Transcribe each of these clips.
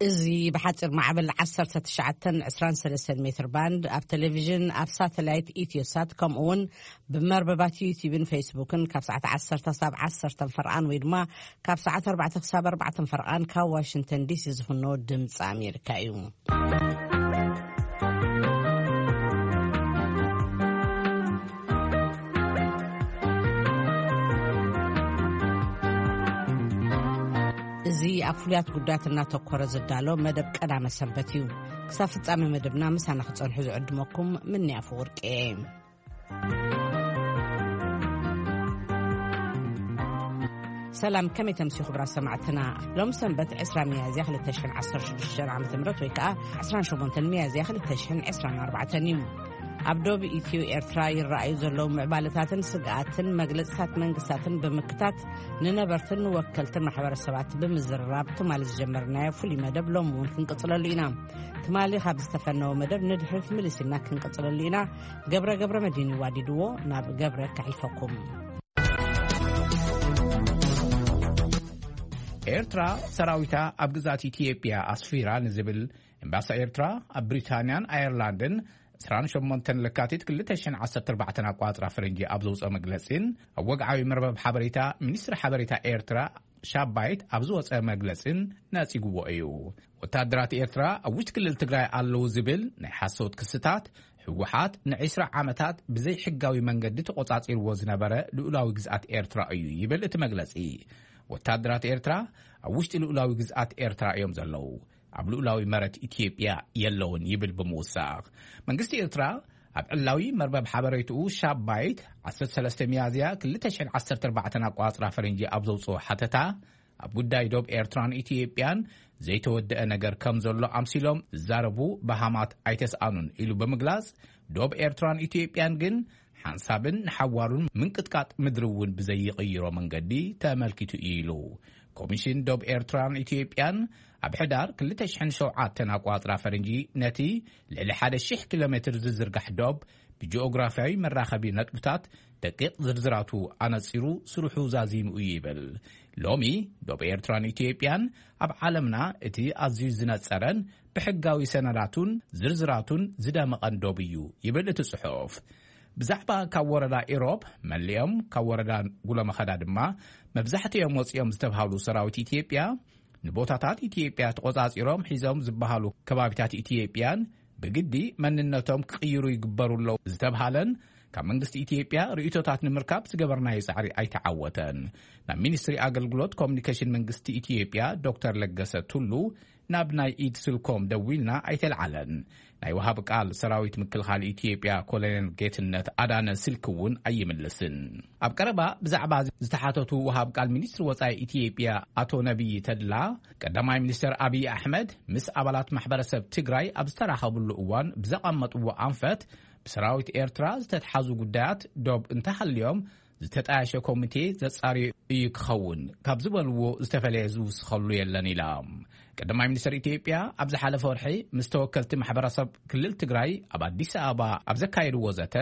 እዚ ብሓፂር ማዕበል ዓሰርተ ትሽዓተን ዕስራን ሰለስተን ሜትር ባንድ፣ ኣብ ቴሌቪዥን፣ ኣብ ሳተላይት ኢትዮሳት፣ ከምኡ እውን ብመርበባት ዩቲዩብን ፌስቡክን ካብ ሰዓት ዓሰርተ ክሳብ ዓሰርተ ፈርቓን ወይ ድማ ካብ ሰዓት ኣርባዕተ ክሳብ ኣርባዕተ ፈርቓን ካብ ዋሽንግተን ዲሲ ዝፍኖ ድምፂ ኣሜሪካ እዩ። እዚ ኣብ ፍሉያት ጉዳያት እናተኮረ ዝዳሎ መደብ ቀዳመ ሰንበት እዩ። ክሳብ ፍጻሜ መደብና ምሳና ክጸንሑ ዝዕድመኩም ምንያፍ ወርቂ እየ። ሰላም፣ ከመይ ተምስዩ ክቡራት ሰማዕትና? ሎም ሰንበት ዕስራ ሚያዝያ ክልተ ሽሕን ዓሰርተ ሽዱሽተን ዓመተ ምህረት ወይ ከኣ ዕስራን ሸሞንተን ሚያዝያ ክልተ ሽሕን ዕስራን ኣርባዕተን እዩ። ኣብ ዶብ ኢትዮ ኤርትራ ይረኣዩ ዘለዉ ምዕባለታትን ስግኣትን መግለጽታት መንግስታትን ብምክታት ንነበርትን ንወከልትን ማሕበረሰባት ብምዝርራብ ትማሊ ዝጀመርናዮ ፍሉይ መደብ ሎም እውን ክንቅጽለሉ ኢና። ትማሊ ካብ ዝተፈነወ መደብ ንድሕሪት ምልስ ኢልና ክንቅጽለሉ ኢና። ገብረ ገብረ መድህን ይዋዲድዎ፣ ናብ ገብረ ከሕልፈኩም። ኤርትራ ሰራዊታ ኣብ ግዛት ኢትዮጵያ ኣስፊራ ንዝብል ኤምባሲ ኤርትራ ኣብ ብሪታንያን ኣየርላንድን ዕስራን ሸሞንተን ለካቲት ክልተ ሽሕን ዓሰርተ ኣርባዕተን ኣቋጽራ ፈረንጂ ኣብ ዘውፅኦ መግለጺን ኣብ ወግዓዊ መርበብ ሓበሬታ ሚኒስትሪ ሓበሬታ ኤርትራ ሻባይት ኣብ ዝወፀ መግለጺን ነጺግዎ እዩ። ወታደራት ኤርትራ ኣብ ውሽጢ ክልል ትግራይ ኣለዉ ዝብል ናይ ሓሶት ክስታት፣ ህወሓት ንዒስራ ዓመታት ብዘይሕጋዊ መንገዲ ተቖጻጺርዎ ዝነበረ ልኡላዊ ግዝኣት ኤርትራ እዩ ይብል እቲ መግለጺ። ወታደራት ኤርትራ ኣብ ውሽጢ ልኡላዊ ግዝኣት ኤርትራ እዮም ዘለዉ፣ ኣብ ልኡላዊ መረት ኢትዮጵያ የለውን ይብል ብምውሳኽ፣ መንግስቲ ኤርትራ ኣብ ዕላዊ መርበብ ሓበሬትኡ ሻባይት ዓሰርተ ሰለስተ ሚያዝያ ክልተ ሽሕን ዓሰርተ ኣርባዕተን ኣቋጽራ ፈረንጂ ኣብ ዘውፅኦ ሓተታ፣ ኣብ ጉዳይ ዶብ ኤርትራን ኢትዮጵያን ዘይተወደአ ነገር ከም ዘሎ ኣምሲሎም ዝዛረቡ በሃማት ኣይተስኣኑን ኢሉ ብምግላጽ፣ ዶብ ኤርትራን ኢትዮጵያን ግን ሓንሳብን ንሓዋሩን ምንቅጥቃጥ ምድሪ እውን ብዘይቕይሮ መንገዲ ተመልኪቱ እዩ ኢሉ። ኮሚሽን ዶብ ኤርትራን ኢትዮጵያን ኣብ ሕዳር ክልተ ሽሕን ሸውዓተን ኣቋጽራ ፈረንጂ ነቲ ልዕሊ ሓደ ሺሕ ኪሎ ሜትር ዝዝርጋሕ ዶብ ብጂኦግራፍያዊ መራኸቢ ነጥብታት ደቂቕ ዝርዝራቱ ኣነጺሩ ስርሑ ዛዚሙ እዩ ይብል። ሎሚ ዶብ ኤርትራን ኢትዮጵያን ኣብ ዓለምና እቲ ኣዝዩ ዝነጸረን ብሕጋዊ ሰነዳቱን ዝርዝራቱን ዝደመቐን ዶብ እዩ ይብል እቲ ጽሑፍ። ብዛዕባ ካብ ወረዳ ኢሮብ መሊኦም ካብ ወረዳ ጉለመኸዳ ድማ መብዛሕትኦም ወፂኦም ዝተብሃሉ ሰራዊት ኢትዮጵያ ንቦታታት ኢትዮጵያ ተቖጻጺሮም ሒዞም ዝበሃሉ ከባቢታት ኢትዮጵያን ብግዲ መንነቶም ክቕይሩ ይግበሩ ኣለዉ ዝተብሃለን ካብ መንግስቲ ኢትዮጵያ ርእይቶታት ንምርካብ ዝገበርናዮ ጻዕሪ ኣይተዓወተን። ናብ ሚኒስትሪ ኣገልግሎት ኮሚኒኬሽን መንግስቲ ኢትዮጵያ ዶክተር ለገሰ ቱሉ ናብ ናይ ኢድ ስልኮም ደዊልና ኣይተልዓለን። ናይ ወሃብ ቃል ሰራዊት ምክልኻል ኢትዮጵያ ኮሎኔል ጌትነት ኣዳነ ስልኪ እውን ኣይምልስን። ኣብ ቀረባ ብዛዕባ ዝተሓተቱ ወሃብ ቃል ሚኒስትሪ ወጻኢ ኢትዮጵያ ኣቶ ነቢይ ተድላ፣ ቀዳማይ ሚኒስትር ኣብይ ኣሕመድ ምስ ኣባላት ማሕበረሰብ ትግራይ ኣብ ዝተራኸብሉ እዋን ብዘቐመጥዎ ኣንፈት፣ ብሰራዊት ኤርትራ ዝተትሓዙ ጉዳያት ዶብ እንተሃልዮም ዝተጣየሸ ኮሚቴ ዘጻርዮ እዩ ክኸውን ካብ ዝበልዎ ዝተፈለየ ዝውስኸሉ የለን ኢላ። ቀዳማይ ሚኒስትር ኢትዮጵያ ኣብ ዝሓለፈ ወርሒ ምስ ተወከልቲ ማሕበረሰብ ክልል ትግራይ ኣብ ኣዲስ ኣበባ ኣብ ዘካየድዎ ዘተ፣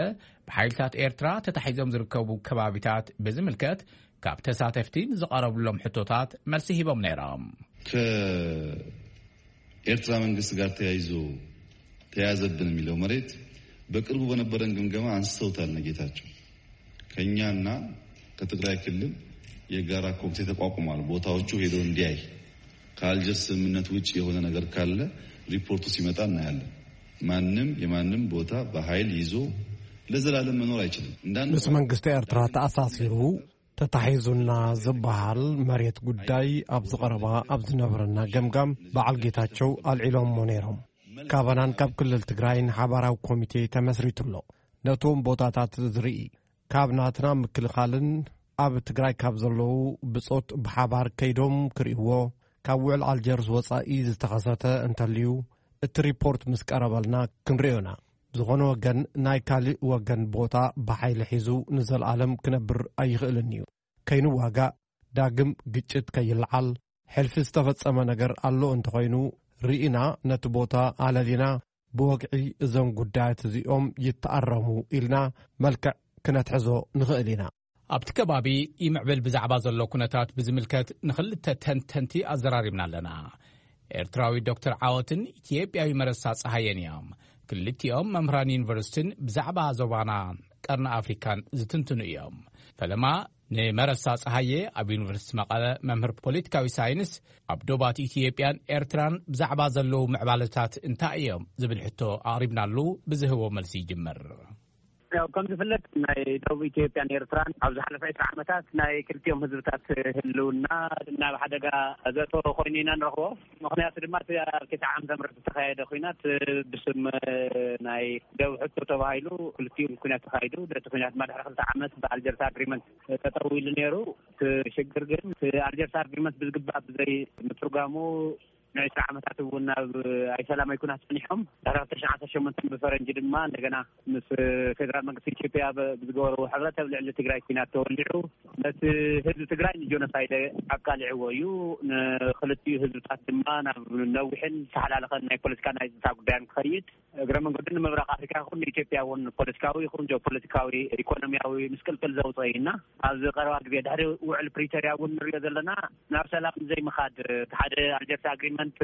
ብሓይልታት ኤርትራ ተታሒዞም ዝርከቡ ከባቢታት ብዝምልከት ካብ ተሳተፍቲ ንዝቐረብሎም ሕቶታት መልሲ ሂቦም ነይሮም። ከኤርትራ መንግስት ጋር ተያይዞ ተያዘብን የሚለው መሬት በቅርቡ በነበረን ግምገማ አንስተውታል። ነጌታቸው ከኛና ከትግራይ ክልል የጋራ ኮሚቴ ተቋቁሟል። ቦታዎቹ ሄዶ እንዲያይ፣ ከአልጀርስ ስምምነት ውጭ የሆነ ነገር ካለ ሪፖርቱ ሲመጣ እናያለን። ማንም የማንም ቦታ በኃይል ይዞ ለዘላለም መኖር አይችልም። እንዳንድ ምስ መንግስቲ ኤርትራ ተኣሳሲሩ ተታሒዙና ዝበሃል መሬት ጉዳይ ኣብዚ ቀረባ ኣብ ዝነበረና ገምጋም በዓል ጌታቸው ኣልዒሎሞ ነይሮም። ካባናን ካብ ክልል ትግራይን ሓባራዊ ኮሚቴ ተመስሪቱ ኣሎ። ነቶም ቦታታት ዝርኢ፣ ካብ ናትና ምክልኻልን ኣብ ትግራይ ካብ ዘለዉ ብጾት ብሓባር ከይዶም ክርእይዎ፣ ካብ ውዕል ኣልጀርስ ወጻኢ ዝተኸሰተ እንተልዩ፣ እቲ ሪፖርት ምስ ቀረበልና ክንርእዮና። ዝኾነ ወገን ናይ ካልእ ወገን ቦታ ብሓይሊ ሒዙ ንዘለኣለም ክነብር ኣይኽእልን እዩ። ከይንዋጋእ፣ ዳግም ግጭት ከይለዓል፣ ሕልፊ ዝተፈጸመ ነገር ኣሎ እንተኾይኑ፣ ርኢና ነቲ ቦታ ኣለሊና ብወግዒ እዞም ጉዳያት እዚኦም ይተኣረሙ ኢልና መልክዕ ክነትሕዞ ንኽእል ኢና። ኣብቲ ከባቢ ይምዕብል ብዛዕባ ዘሎ ኩነታት ብዝምልከት ንኽልተ ተንተንቲ ኣዘራሪብና ኣለና። ኤርትራዊ ዶክተር ዓወትን ኢትዮጵያዊ መረሳ ጸሃየን እዮም። ክልቲኦም መምህራን ዩኒቨርሲቲን ብዛዕባ ዞባና ቀርኒ ኣፍሪካን ዝትንትኑ እዮም። ፈለማ ንመረሳ ጸሃየ ኣብ ዩኒቨርሲቲ መቐለ መምህር ፖለቲካዊ ሳይንስ ኣብ ዶባት ኢትዮጵያን ኤርትራን ብዛዕባ ዘለዉ ምዕባለታት እንታይ እዮም ዝብል ሕቶ ኣቕሪብናሉ ብዝህቦ መልሲ ይጅምር። ያው ከም ዝፍለጥ ናይ ደቡብ ኢትዮጵያን ኤርትራን ኣብ ዝሓለፈ ዕስራ ዓመታት ናይ ክልቲኦም ህዝብታት ህልውና ናብ ሓደጋ ዘእተወ ኮይኑ ኢና ንረኽቦ። ምኽንያቱ ድማ እቲ ኣብ ክልተ ዓመተ ምህረት ዝተኻየደ ኲናት ብስም ናይ ደቡብ ሕቶ ተባሂሉ ክልቲኡ ኲናት ተኻይዱ። ነቲ ኲናት ድማ ድሕሪ ክልተ ዓመት ብኣልጀርስ ኣግሪመንት ጠጠው ኢሉ ነይሩ። እቲ ሽግር ግን እቲ ኣልጀርስ ኣግሪመንት ብዝግባእ ብዘይ ምትርጓሙ ንዕስራ ዓመታት እውን ኣብ ኣይሰላማዊ ኩናት ጸኒሖም። ድሕሪ ክልተ ሽሕን ዓሰርተ ሸሞንተን ብፈረንጂ ድማ እንደገና ምስ ፌደራል መንግስቲ ኢትዮጵያ ብ- ብዝገበርዎ ሕብረት ኣብ ልዕሊ ትግራይ ኩናት ተወሊዑ ነቲ ህዝቢ ትግራይ ንጆኖሳይድ ኣቃሊዕዎ እዩ። ንክልቲኡ ህዝብታት ድማ ናብ ነዊሕን ዝተሓላለኸን ናይ ፖለቲካ ናይ ጸጥታ ጉዳያን ክኸይድ እግረ መንገዱ ንምብራቕ ኣፍሪካ ይኹን ንኢትዮጵያ እውን ፖለቲካዊ ይኹን ጂኦፖለቲካዊ ኢኮኖሚያዊ ምስቅልቅል ዘውፅኦ እዩ እና ኣብዚ ቀረባ ግዜ ድሕሪ ውዕል ፕሪቶርያ እውን ንሪኦ ዘለና ናብ ሰላም ዘይምኻድ እቲ ሓደ ኣልጀርስ ኣግሪመንት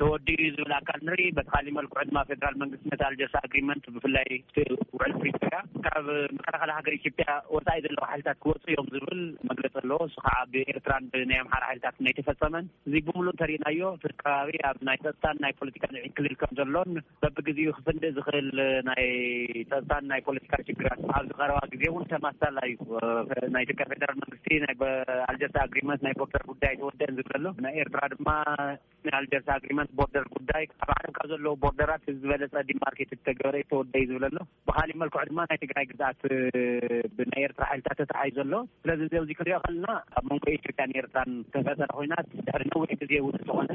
ተወዲኡ እዩ ዝብል ኣካል ንርኢ። በቲ ካሊእ መልክዑ ድማ ፌደራል መንግስቲ ነቲ ኣልጀርስ ኣግሪመንት ብፍላይ እቲ ውዕል ፕሪቶርያ ካብ መከላኸሊ ሃገር ኢትዮጵያ ወፃኢ ዘለዉ ሓይልታት ክወፁ እዮም ዝብል መግለፂ ኣለዎ። እሱ ከዓ ብኤርትራን ብናይ ኣምሓራ ሓይልታት ናይ ተፈፀመን እዚ ብምሉእ እንተሪእናዮ እቲ ከባቢ ኣብ ናይ ፀጥታን ናይ ፖለቲካን ዕንክሊል ከም ዘሎን በብግዜኡ ክፍንድእ ዝኽእል ናይ ፀጥታን ናይ ፖለቲካ ሽግራት ኣብዚ ቀረባ ግዜ እውን ተማሳላ እዩ። ናይ ኢትዮጵያ ፌደራል መንግስቲ ናይ ኣልጀርስ ኣግሪመንት ናይ ቦርደር ጉዳይ ተወደአን ዝብል ኣሎ። ናይ ኤርትራ ድማ ናይ ኣልጀርስ ኣግሪመንት ቦርደር ጉዳይ ኣብ ዓለም ካብ ዘለዉ ቦርደራት ዝበለፀ ዲማርኬት ተገበረ ተወደ እዩ ዝብል ኣሎ። ብካሊእ መልክዑ ድማ ናይ ትግራይ ግዝኣት ብናይ ኤርትራ ሓይልታት ተታሒዙ ዘሎ። ስለዚ እዚ ኣብዚ ክንሪኦ ከለና ኣብ መንጎ ኢትዮጵያን ኤርትራን ተፈጠረ ኮይናት ድሕሪ ነዊሕ ግዜ እውን ዝኾነ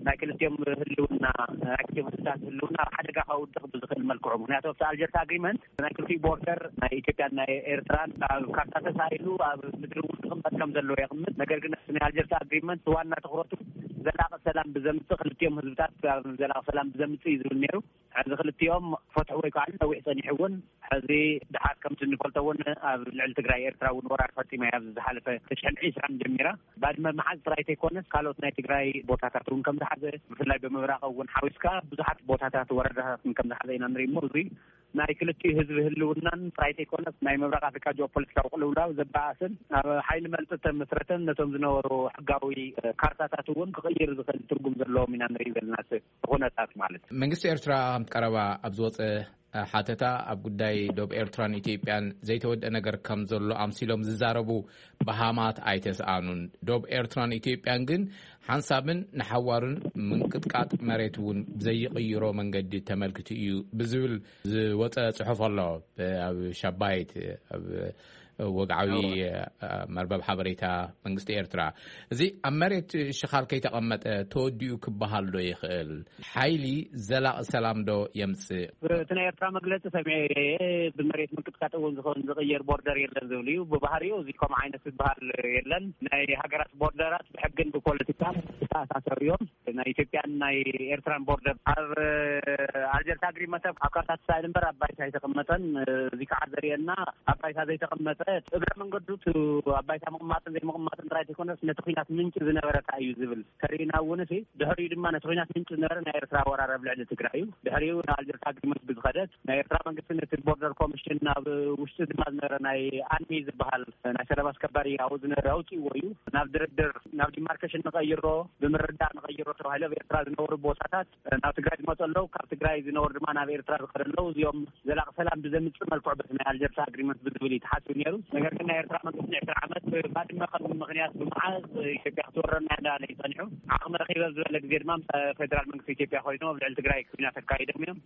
ናይ ክልቲኦም ህልውና ናይ ክልቲኦም ህዝብታት ህልውና ኣብ ሓደጋ ከውድቕ ብዝኽእል መልክዑ ምክንያቱ ኣብቲ ኣልጀርስ ኣግሪመንት ናይ ክልቲኡ ቦርደር ናይ ኢትዮጵያን ናይ ኤርትራን ኣብ ካርታ ተሳኢሉ ኣብ ምድሪ እውን ክቕመጥ ከም ዘለዎ የቕምጥ። ነገር ግን ናይ ኣልጀርስ ኣግሪመንት ዋና ትኩረቱ ዘላቂ ሰላም ብዘምፅእ ክልቲኦም ህዝብታት ዘላቂ ሰላም ብዘምፅእ እዩ ዝብል ነይሩ። ሕዚ ክልቲኦም ፈትሑ ወይ ከዓ ነዊሕ ፀኒሑ እውን ሕዚ ድሓር ከምቲ እንፈልጦ እውን ኣብ ልዕሊ ትግራይ ኤርትራ እውን ወራር ፈፂማ እያ። ኣብዚ ዝሓለፈ ተሽሕን ዒስራን ጀሚራ ባድመ መሓዝ ጥራይ ተይኮነስ ካልኦት ናይ ትግራይ ቦታታት እውን ከም ዝሓዘ ብፍላይ ብምብራቕ እውን ሓዊስካ ብዙሓት ቦታታት ወረዳታትን ከም ዝሓዘ ኢና ንርኢ እሞ እዚ ናይ ክልቲኡ ህዝቢ ህልውናን ጥራይ ተይኮነስ ናይ ምብራቕ ኣፍሪካ ጂኦፖለቲካዊ ቅልውላው ዘበኣስን ኣብ ሓይሊ መልጢ ተመስረተን ነቶም ዝነበሩ ሕጋዊ ካርታታት እውን ክቕይር ዝኽእል ትርጉም ዘለዎም ኢና ንርኢ ዘለና። ኩነታት ማለት እዩ። መንግስቲ ኤርትራ ከም ቀረባ ኣብ ዝወፀ ሓተታ ኣብ ጉዳይ ዶብ ኤርትራን ኢትዮጵያን ዘይተወደአ ነገር ከም ዘሎ ኣምሲሎም ዝዛረቡ በሃማት ኣይተስኣኑን። ዶብ ኤርትራን ኢትዮጵያን ግን ሓንሳብን ንሓዋሩን ምንቅጥቃጥ መሬት እውን ዘይቕይሮ መንገዲ ተመልክቱ እዩ ብዝብል ዝወፀ ፅሑፍ ኣሎ። ኣብ ሻባይት ኣብ ወግዓዊ መርበብ ሓበሬታ መንግስቲ ኤርትራ። እዚ ኣብ መሬት ሽኻል ከይተቐመጠ ተወዲኡ ክበሃል ዶ ይኽእል? ሓይሊ ዘላቒ ሰላም ዶ የምጽእ? እቲ ናይ ኤርትራ መግለፂ ሰሚዐ ብመሬት ምንቅጥቃጥ እውን ዝኸውን ዝቕየር ቦርደር የለን ዝብል እዩ። ብባህሪኡ እዚ ከምኡ ዓይነት ዝበሃል የለን። ናይ ሃገራት ቦርደራት ብሕግን ብፖለቲካን ዝተኣሳሰሩ እዮም። ናይ ኢትዮጵያን ናይ ኤርትራን ቦርደር ኣብ ኣልጀርስ ኣግሪመንት ኣብ ካርታ ተሳኢሉ እምበር ኣብ ባይታ ኣይተቐመጠን። እዚ ከዓ ዘርእየና ኣብ ባይታ ዘይተቐመጠ እግረ መንገዱ እቲ ኣብ ባይታ ምቕማጥን ዘይምቕማጥን ጥራይ ዘይኮነስ ነቲ ኲናት ምንጪ ዝነበረ ከኣ እዩ ዝብል ተርእዩና እውን እቲ ድሕሪኡ ድማ ነቲ ኲናት ምንጪ ዝነበረ ናይ ኤርትራ ወራር ኣብ ልዕሊ ትግራይ እዩ። ድሕሪኡ ንኣልጀርስ ኣግሪመንት ብዝኸደት ናይ ኤርትራ መንግስቲ ነቲ ቦርደር ኮሚሽን ናብ ውሽጢ ድማ ዝነበረ ናይ ኣንሚ ዝበሃል ናይ ሰላም ኣስከባሪ ኣብኡ ዝነበረ ኣውፂእዎ እዩ። ናብ ድርድር ናብ ዲማርኬሽን ንቐይሮ ብምርዳእ ንቐይሮ ተባሂሉ ኣብ ኤርትራ ዝነበሩ ቦታታት ናብ ትግራይ ዝመፁ ኣለዉ። ካብ ትግራይ ዝነበሩ ድማ ናብ ኤርትራ ዝኸዱ ኣለዉ። እዚኦም ዘላቂ ሰላም ብዘምፅእ መልክዑ በቲ ናይ ኣልጀርስ ኣግሪመንት ብዝብል እዩ ተሓሲቡ ነይሩ። ነገር ግን ናይ ኤርትራ መንግስቲ ንዕስራ ዓመት ባድመ ከም ምክንያት ብምሓዝ ኢትዮጵያ ክትወረና እንዳለ እዩ ፀኒሑ። ዓቕሚ ረኺበ ዝበለ ግዜ ድማ ምስ ፌደራል መንግስቲ ኢትዮጵያ ኮይኖም ኣብ ልዕሊ ትግራይ ኩናት ኣካይዶም እዮም።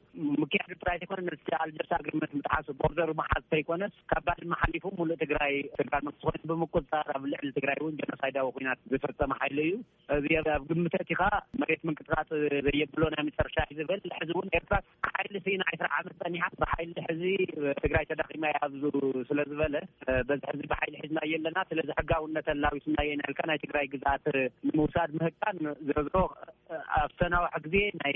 ምክያዱ ጥራይ ዘይኮነ ነቲ ኣልጀርስ ኣግሪመንት ምጥሓሱ ቦርደሩ ምሓዝ ተይኮነስ ካብ ባድመ ሓሊፉ ሙሉእ ትግራይ ፌደራል መንግስቲ ኮይኑ ብምቁፅፃር ኣብ ልዕሊ ትግራይ እውን ጀኖሳይዳዊ ኩናት ዝፈፀመ ሓይሊ እዩ። እዚ ኣብ ግምት ኣእቲኻ መሬት ምንቅጥቃጥ ዘየብሎ ናይ መጨረሻ እዩ ዝብል። ሕዚ እውን ኤርትራ ሓይሊ ስኢና ዕስራ ዓመት ፀኒሓ ብሓይሊ ሕዚ ትግራይ ተዳኺማ እያ ኣብዚ ስለ ዝበለ በዚ ሕዚ ብሓይሊ ሒዝና የለና። ስለዚ ሕጋውነት ኣላዊስና የና ኢልካ ናይ ትግራይ ግዝኣት ንምውሳድ ምህቃን ዝረዝሮ ኣብ ዝተናውሐ ግዜ ናይ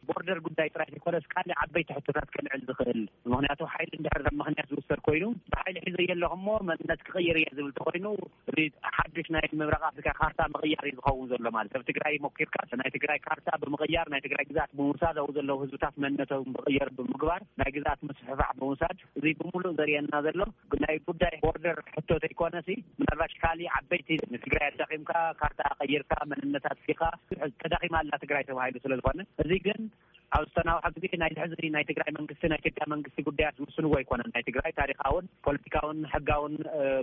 ቦርደር ጉዳይ ጥራይ ዘይኮነስ ካልእ ዓበይቲ ሕቶታት ከልዕል ዝኽእል፣ ምኽንያቱ ሓይሊ እንድሕር ከም ምኽንያት ዝውሰድ ኮይኑ፣ ብሓይሊ ሒዘ የለኹ እሞ መንነት ክቕይር እየ ዝብል ተኮይኑ፣ እዚ ሓድሽ ናይ ምብራቕ ኣፍሪካ ካርታ ምቕያር እዩ ዝኸውን ዘሎ። ማለት ኣብ ትግራይ ሞኪርካ ናይ ትግራይ ካርታ ብምቕያር፣ ናይ ትግራይ ግዛት ብምውሳድ፣ ኣብኡ ዘለዉ ህዝብታት መንነቶም ብቕየር ብምግባር ናይ ግዛት ምስፍሕፋሕ ብምውሳድ፣ እዚ ብምሉእ ዘርእየና ዘሎ ናይ ጉዳይ ቦርደር ሕቶ ተይኮነሲ፣ ምናልባሽ ካሊእ ዓበይቲ ንትግራይ ኣዳኺምካ፣ ካርታ ቀይርካ፣ መንነታት ፊኻ፣ ተዳኺማ ኣላ ትግራይ ተባሂሉ ስለ ዝኾነ፣ እዚ ግን ኣብ ዝተናውሐ ግዜ ናይ ሕዚ ናይ ትግራይ መንግስቲ፣ ናይ ኢትዮጵያ መንግስቲ ጉዳያት ዝውስንዎ ኣይኮነን። ናይ ትግራይ ታሪኻውን ፖለቲካውን ሕጋውን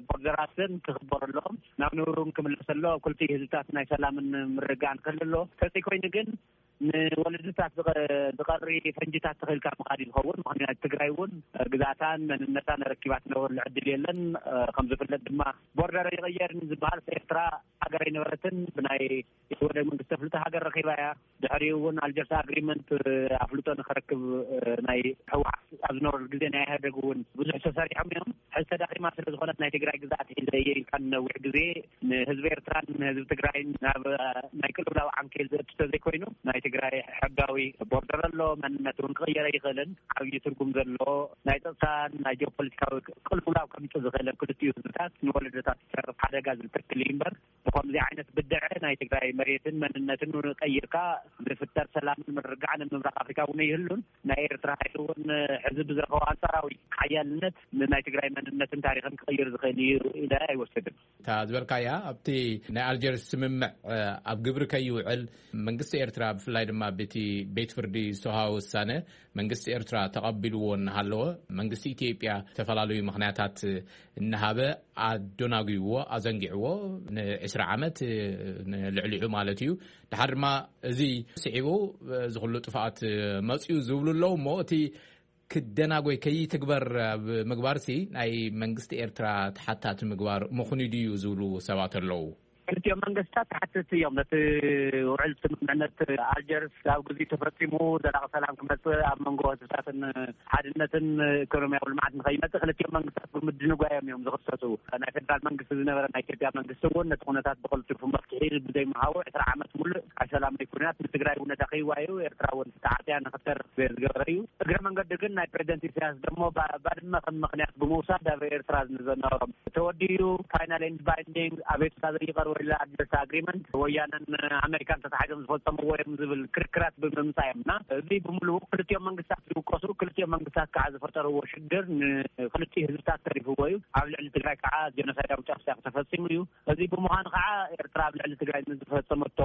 ቦርደራትን ክኽበሩ ኣለዎም። ናብ ንብሩን ክምለስ ኣሎ። ኣብ ክልቲኡ ህዝብታት ናይ ሰላምን ምርግጋእን ክህሉ ኣሎ። ተዘይኮይኑ ግን ንወለድታት ዝቐሪ ፈንጅታት ተኽልካ ምኻድ እዩ ዝኸውን። ምኽንያት ትግራይ እውን ግዛታን መንነታን ረኪባ ትነብረሉ ዕድል የለን። ከም ዝፍለጥ ድማ ቦርደር ይቕየር ዝበሃል ኤርትራ ሃገር ኣይነበረትን። ብናይ ወደ መንግስቲ ተፍልጦ ሃገር ረኺባ እያ። ድሕሪኡ እውን ኣልጀርስ ኣግሪመንት ኣፍልጦ ንክረክብ ናይ ህወሓት ኣብ ዝነበረሉ ግዜ ናይ ኢህኣደግ እውን ብዙሕ ተሰሪሖም እዮም። ሕዚ ተዳኺማ ስለ ዝኾነት ናይ ትግራይ ግዛት ሒዘ እየ ኢልካ ንነዊሕ ግዜ ንህዝቢ ኤርትራን ንህዝቢ ትግራይን ናብ ናይ ቅልውላው ዓንኬል ዘእቱ ተዘይኮይኑ፣ ናይ ትግራይ ሕጋዊ ቦርደር ኣሎ። መንነት እውን ክቕየር ኣይኽእልን። ዓብዪ ትርጉም ዘለዎ ናይ ፀጥታን ናይ ጂኦፖለቲካዊ ቅልውላው ከምፅእ ዝኽእል ኣብ ክልቲኡ ህዝብታት ንወለዶታት ዝሰርፍ ሓደጋ ዝልተክል እዩ እምበር፣ ብኸምዚ ዓይነት ብድዐ ናይ ትግራይ መሬትን መንነትን ቀይርካ ዝፍጠር ሰላምን ምርግጋዕን ምብራቕ ኣፍሪካ እውን ይህሉን። ናይ ኤርትራ ሓይሊ እውን ሕዚ ብዝረኸቦ ኣንጻራዊ ሓያልነት ንናይ ትግራይ መንነትን ታሪኽን ክቕይር ዝኽእል እዩ ኢለ ኣይወስድን። እታ ዝበልካያ ኣብቲ ናይ ኣልጀርስ ስምምዕ ኣብ ግብሪ ከይውዕል መንግስቲ ኤርትራ ብፍላይ ድማ በቲ ቤት ፍርዲ ዝተውሃበ ውሳነ መንግስቲ ኤርትራ ተቐቢልዎ እናሃለወ መንግስቲ ኢትዮጵያ ዝተፈላለዩ ምኽንያታት እናሃበ ኣደናጒዎ፣ ኣዘንጊዕዎ፣ ንዕስራ ዓመት፣ ንልዕሊዑ ማለት እዩ። ድሓር ድማ እዚ ስዒቡ እዚ ኩሉ ጥፍኣት መፅዩ ዝብሉ ኣለዉ እሞ እቲ ክደናጎይ ከይትግበር ኣብ ምግባርሲ ናይ መንግስቲ ኤርትራ ተሓታቲ ምግባር ምኹኒ ድዩ ዝብሉ ሰባት ኣለዉ። ክልቲኦም መንግስታት ተሓተቲ እዮም። ነቲ ውዕል ስምምዕነት ኣልጀርስ ኣብ ግዜ ተፈጺሙ ዘላቂ ሰላም ክመጽእ ኣብ መንጎ ህዝብታትን ሓድነትን ኢኮኖሚያዊ ልምዓት ንኸይመጽእ ክልቲኦም መንግስታት ብምድንጓዮም እዮም ዝኽሰሱ። ናይ ፌደራል መንግስቲ ዝነበረ ናይ ኢትዮጵያ መንግስቲ እውን ነቲ ኩነታት ብቐልጢፉ መፍትሒ ብዘይምሃቡ ዕስራ ዓመት ሙሉእ ኣይሰላማዊ ኩነታት ንትግራይ እውን ኣዳኺዋ እዩ። ኤርትራ እውን ተዓጽያ ንኽተርፍ ዝገበረ እዩ። እግረ መንገዲ ግን ናይ ፕሬዚደንት ኢሳያስ ደሞ ባ-፣ ባድመ ከም ምኽንያት ብምውሳድ ኣብ ኤርትራ ንዘነበሮም ተወዲኡ ፋይናል ኤንድ ባይንዲንግ ኣቤቱታ ዘይቀርበላ ኣድቨርስ ኣግሪመንት ወያነን ኣሜሪካን ተታሒዞም ዝፈጸምዎ እዮም ዝብል ክርክራት ብምምጻእ እዮም። እና እዚ ብምሉኡ ክልቲኦም መንግስታት ዝውቀሱ፣ ክልቲኦም መንግስታት ከዓ ዝፈጠርዎ ሽግር ንክልቲኡ ህዝብታት ተሪፍዎ እዩ። ኣብ ልዕሊ ትግራይ ከዓ ጀኖሳይዳዊ ጨፍጫፍ ተፈጺሙ እዩ። እዚ ብምዃኑ ከዓ ኤርትራ ኣብ ልዕሊ ትግራይ ንዝፈጸመቶ